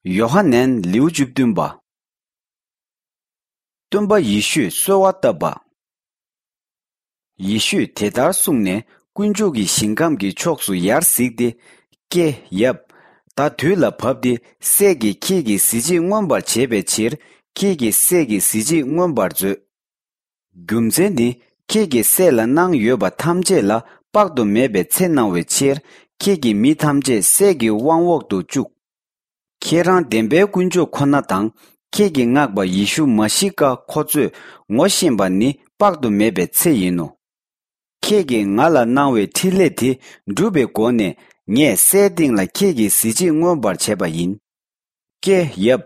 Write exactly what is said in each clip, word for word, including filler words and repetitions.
ཡོ་ཧ་ནན། ལེའུ་བཅུ་བདུན་པ། སྟོན་པ་ཡེ་ཤུས་གསོལ་བ་བཏབ་པ། ཡེ་ཤུས་དེ་ལྟར་གསུངས་ནས། དཀོན་མཆོག་གི་ཞིང་ཁམས་ཀྱི་ཕྱོགས་སུ་ཡར་གཟིགས་ཏེ། ཀྱེ་ཡབ། ད་དུས་ལ་བབ་སྟེ། སྲས་ཀྱིས་ཁྱེད་ཀྱི་གཟི་བརྗིད་མངོན་པར་བྱེད་པའི་ཕྱིར། ཁྱེད་ཀྱི་སྲས་ཀྱི་གཟི་བརྗིད་མངོན་པར་མཛོད། རྒྱུ་མཚན་ནི། ཁྱེད་ཀྱི་སྲས་ལ་གནང་ཡོད་པ་ཐམས་ཅད་ལ་དཔག་ཏུ་མེད་པའི་ཚེ་གནང་བའི་ཕྱིར། ཁྱེད་ཀྱི་མི་ཐམས་ཅད་སྲས་ཀྱི་དབང་འོག་ཏུ་བཅུག། ཁྱེད་རང་བདེན་པའི་དཀོན་མཆོག་ཁོ་ན་དང་། ཁྱེད་ཀྱིས་མངགས་པ་ཡེ་ཤུ་མ་ཤི་ཀ་ཁོ་ཚོས་ངོ་ཤེས་པ་ནི་དཔག་ཏུ་མེད་པའི་ཚེ་ཡིན་ནོ། ཁྱེད་ཀྱིས་ང་ལ་གནང་བའི་འཕྲིན་ལས་དེ་འགྲུབ་པའི་སྒོ་ནས། ངས་སའི་སྟེང་ལ་ཁྱེད་ཀྱི་གཟི་བརྗིད་མངོན་པར་བྱས་པ་ཡིན། ཀྱེ་ཡབ།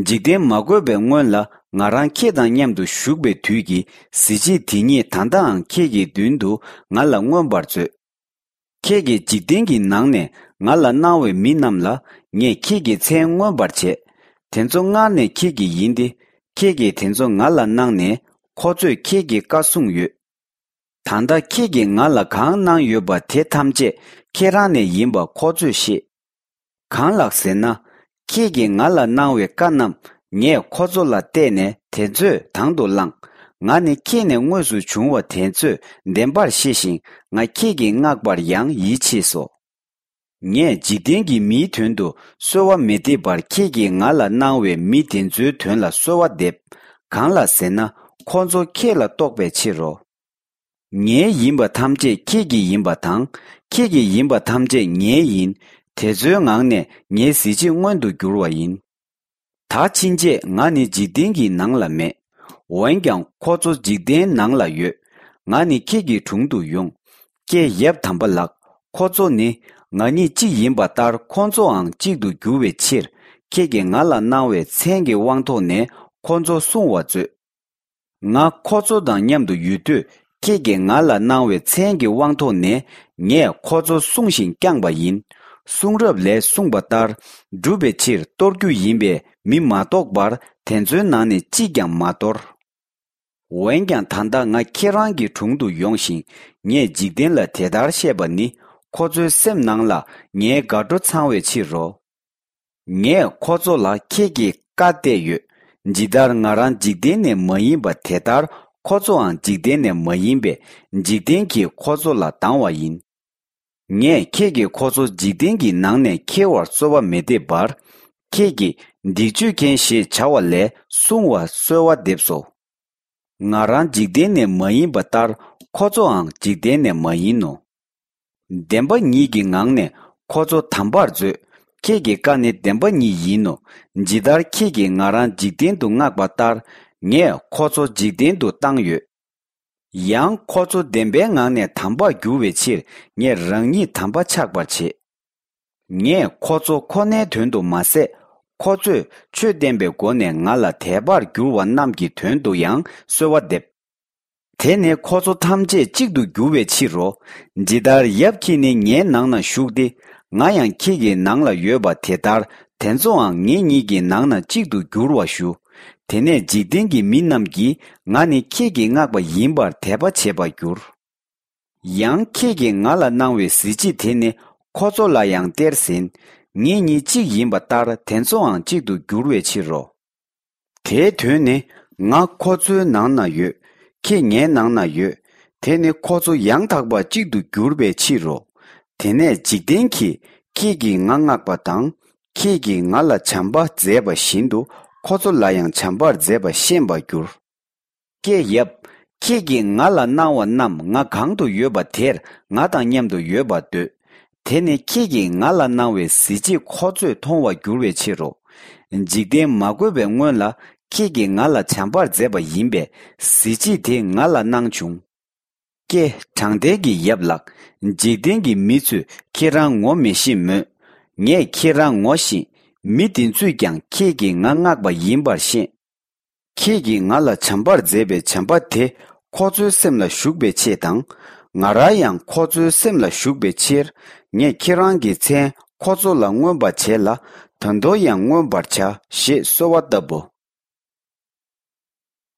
འཇིག་རྟེན་མ་བཀོད་པའི་སྔོན་ལ། ང་རང་ཁྱེད་དང་མཉམ་དུ་བཞུགས་པའི་དུས་ཀྱི་གཟི་བརྗིད་དེ་ཉིད་ད་ལྟའང་ཁྱེད་ཀྱི་མདུན་དུ་ང་ལ་མངོན་པར་མཛོད། ཁྱེད་ཀྱིས་འཇིག་རྟེན་གྱི་ནང་ནས་ང་ལ་གནང་བའི་མི་རྣམས་ལ། ངས་ཁྱེད་ཀྱི་མཚན་མངོན་པར་བྱས། དེ་ཚོ་སྔར་ནས་ཁྱེད་ཀྱི་ཡིན་ཏེ། ཁྱེད་ཀྱིས་དེ་ཚོ་ང་ལ་གནང་ནས། ཁོ་ཚོས་ཁྱེད་ཀྱི་བཀའ་བསྲུངས་ཡོད། ད་ལྟ་ཁྱེད་ཀྱིས་ང་ལ་གང་གནང་ཡོད་པ་དེ་ཐམས་ཅད་ཁྱེད་རང་ནས་ཡིན་པ་ཁོ་ཚོས་ཤེས། གང་ལགས་ཟེར་ན། ཁྱེད་ཀྱིས་ང་ལ་གནང་བའི་བཀའ་རྣམས་ངས་ཁོ་ཚོ་ལ་གཏད་ནས། དེ་ཚོས་དང་དུ་བླངས། ང་ནི་ཁྱེད་ནས་དངོས་སུ་བྱུང་བ་དེ་ཚོས་བདེན་པར་ཤེས་ཤིང་། ང་ཁྱེད་ཀྱིས་མངགས་པར་ཡང་ཡིད་ཆེས་སོ། ངས་འཇིག་རྟེན་གྱི་མིའི་དོན་དུ་གསོལ་བ་མི་འདེབས་པར། ཁྱེད་ཀྱིས་ང་ལ་གནང་བའི་མི་དེ་ཚོའི་དོན་ལ་གསོལ་བ་འདེབས། གང་ལགས་ཟེར་ན། ཁོ་ཚོ་ཁྱེད་ལ་གཏོགས་པའི་ཕྱིར་རོ། ངའི་ཡིན་པ་ཐམས་ཅད་ཁྱེད་ཀྱི་ཡིན་པ་དང་། ཁྱེད་ཀྱི་ཡིན་པ་ཐམས་ཅད་ངའི་ཡིན། དེ་ཚོའི་ངང་ནས་ངའི་གཟི་བརྗིད་མངོན་དུ་འགྱུར་བ་ཡིན། ད་ཕྱིན་ཆད་ང་ནི་འཇིག་རྟེན་གྱི་ནང་ལ་མེད། འོན་ཀྱང་ཁོ་ཚོ་འཇིག་རྟེན་ནང་ལ་ཡོད། ང་ནི་ཁྱེད་ཀྱི་དྲུང་དུ་ཡོང་། ཀྱེ་ཡབ་དམ་པ་ལགས། ཁོ་ཚོ་ནི་ང་གཉིས་གཅིག་ཡིན་པ་ལྟར། ཁོ་ཚོའང་གཅིག་ཏུ་འགྱུར་བའི་ཕྱིར། ཁྱེད་ཀྱིས་ང་ལ་གནང་བའི་མཚན་གྱི་དབང་ཐོག་ནས་ཁོ་ཚོ་སྲུང་བར་མཛོད། ང་ཁོ་ཚོ་དང་མཉམ་དུ་ཡོད་དུས། ཁྱེད་ཀྱིས་ང་ལ་གནང་བའི་མཚན་གྱི་དབང་ཐོག་ནས། ངས་ཁོ་ཚོ་སྲུང་ཞིང་བསྐྱངས་པ་ཡིན། གསུང་རབ་ལས་གསུངས་པ་ལྟར། བསྒྲུབ་པའི་ཕྱིར་གཏོར་རྒྱུ་ཡིན་པས། མི་མ་གཏོགས་པར་དེ་ཚོའི་ནང་ནས་གཅིག་ཀྱང་མ་གཏོར། འོན་ཀྱང་ད་ལྟ་ང་ཁྱེད་རང་གི་དྲུང་དུ་ཡོང་ཞིང་། ངས་འཇིག་རྟེན་ལ་དེ་ལྟར་བཤད་པ་ནི། ཁོ་ཚོའི་སེམས་ནང་ལ་ངའི་དགའ་སྤྲོ་ཚང་བའི་ཕྱིར་རོ། ངས་ཁོ་ཚོ་ལ་ཁྱེད་ཀྱི་བཀའ་གཏད་ཡོད། ཇི་ལྟར་ང་རང་འཇིག་རྟེན་ནས་མ་ཡིན་པ། དེ་ལྟར་ཁོ་ཚོའང་འཇིག་རྟེན་ནས་མ་ཡིན་པས། འཇིག་རྟེན་གྱིས་ཁོ་ཚོ་ལ་སྡང་བ་ཡིན། ངས་ཁྱེད་ཀྱིས་ཁོ་ཚོ་འཇིག་རྟེན་གྱི་ནང་ནས་ཁྱེར་བར་གསོལ་བ་མི་འདེབས་པར། ཁྱེད་ཀྱིས་སྡིག་སྤྱོད་མཁན་ཞེས་བྱ་བ་ལས་སྲུང་བར་གསོལ་བ་འདེབས་སོ། ང་རང་འཇིག་རྟེན་ནས་མ་ཡིན་པ་ལྟར། ཁོ་ཚོའང་འཇིག་རྟེན་ནས་མ་ཡིན་ནོ། བདེན་པ་ཉིད་ཀྱི་ངང་ནས་ཁོ་ཚོ་དམ་པར་མཛོད། ཁྱེད་ཀྱི་བཀའ་ནི་བདེན་པ་ཉིད་ཡིན་ནོ། ཇི་ལྟར་ཁྱེད་ཀྱིས་ང་རང་འཇིག་རྟེན་དུ་མངགས་པ་ལྟར། ངས་ཁོ་ཚོ་འཇིག་རྟེན་དུ་བཏང་ཡོད། ཡང་ཁོ་ཚོ་བདེན་པའི་ངང་ནས་དམ་པར་འགྱུར་བའི་ཕྱིར། ངས་རང་ཉིད་དམ་པ་ཆགས་པར་བྱེད། ངས་ཁོ་ཚོ་ཁོ་ནའི་དོན་དུ་མ་ཟད། ཁོ་ཚོས་ཆོས་བསྟན་པའི་སྒོ་ནས་ང་ལ་དད་པར་གྱུར་བ་རྣམས་ཀྱི་དོན་དུ་ཡང་གསོལ་བ་འདེབས། དེ་ནི་ཁོ་ཚོ་ཐམས་ཅད་གཅིག་ཏུ་འགྱུར་བའི་ཕྱིར་རོ། ཇི་ལྟར་ཡབ་ཁྱེད་ནི་ངའི་ནང་ན་བཞུགས་ཏེ། ང་ཡང་ཁྱེད་ཀྱི་ནང་ལ་ཡོད་པ། དེ་ལྟར་དེ་ཚོའང་ངེད་གཉིས་ཀྱི་ནང་ན་གཅིག་ཏུ་འགྱུར་བར་ཞུ། དེ་ནས་འཇིག་རྟེན་གྱི་མི་རྣམས་ཀྱིས་ང་ནི་ཁྱེད་ཀྱིས་མངགས་པ་ཡིན་པར་དད་པ་བྱེད་པར་འགྱུར། ཡང་ཁྱེད་ཀྱིས་ང་ལ་གནང་བའི་གཟི་བརྗིད་དེ་ནི་ཁོ་ཚོ་ལ་ཡང་སྟེར་ཟིན། ངེད་གཉིས་གཅིག་ཡིན་པ་ལྟར་དེ་ཚོའང་གཅིག་ཏུ་འགྱུར་བའི་ཕྱིར་རོ། དེའི་དོན་ནི། ང་ཁོ་ཚོའི་ནང་ན་ཡོད། ཁྱེད་ངའི་ནང་ན་ཡོད། དེ་ནི་ཁོ་ཚོ་ཡང་དག་པར་གཅིག་ཏུ་འགྱུར་བའི་ཕྱིར་རོ། དེ་ནས་འཇིག་རྟེན་གྱིས་ཁྱེད་ཀྱིས་ང་མངགས་པ་དང་། ཁྱེད་ཀྱིས་ང་ལ་བྱམས་པ་མཛད་པ་བཞིན་དུ། ཁོ་ཚོ་ལ་ཡང་བྱམས་པར་མཛད་པ་ཤེས་པར་འགྱུར། ཀྱེ་ཡབ། ཁྱེད་ཀྱིས་ང་ལ་གནང་བ་རྣམས་ང་གང་དུ་ཡོད་པ་དེར་ང་དང་མཉམ་དུ་ཡོད་པར་འདོད། དེ་ནི་ཁྱེད་ཀྱིས་ང་ལ་གནང་བའི་གཟི་བརྗིད་ཁོ་ཚོས་མཐོང་བར་འགྱུར་བའི་ཕྱིར་རོ། འཇིག་རྟེན་མ་བཀོད་པའི་སྔོན་ལ་ཁྱེད་ཀྱིས་ང་ལ་བྱམས་པར་མཛད་པ་ཡིན་པས། གཟི་བརྗིད་དེ་ང་ལ་གནང་བྱུང་། ཀྱེ། དྲང་བདེན་གྱི་ཡབ་ལགས། འཇིག་རྟེན་གྱི་མི་ཚོས་ཁྱེད་རང་ངོ་མི་ཤེས་མོད། ངས་ཁྱེད་རང་ངོ་ཤེས། མི་དེ་ཚོས་ཀྱང་ཁྱེད་ཀྱིས་ང་མངགས་པ་ཡིན་པར་ཤེས། ཁྱེད་ཀྱིས་ང་ལ་བྱམས་པར་མཛད་པའི་བྱམས་པ་དེ་ཁོ་ཚོའི་སེམས་ལ་ཞུགས་པའི་ཆེད་དང་། ང་རང་ཡང་ཁོ་ཚོའི་སེམས་ལ་ཞུགས་པའི་ཕྱིར། ངས་ཁྱེད་རང་གི་མཚན་ཁོ་ཚོ་ལ་མངོན་པར་བྱས་ལ། ད་དུང་ཡང་མངོན་པར་བྱ་ཞེས་གསོལ་བ་བཏབ་བོ།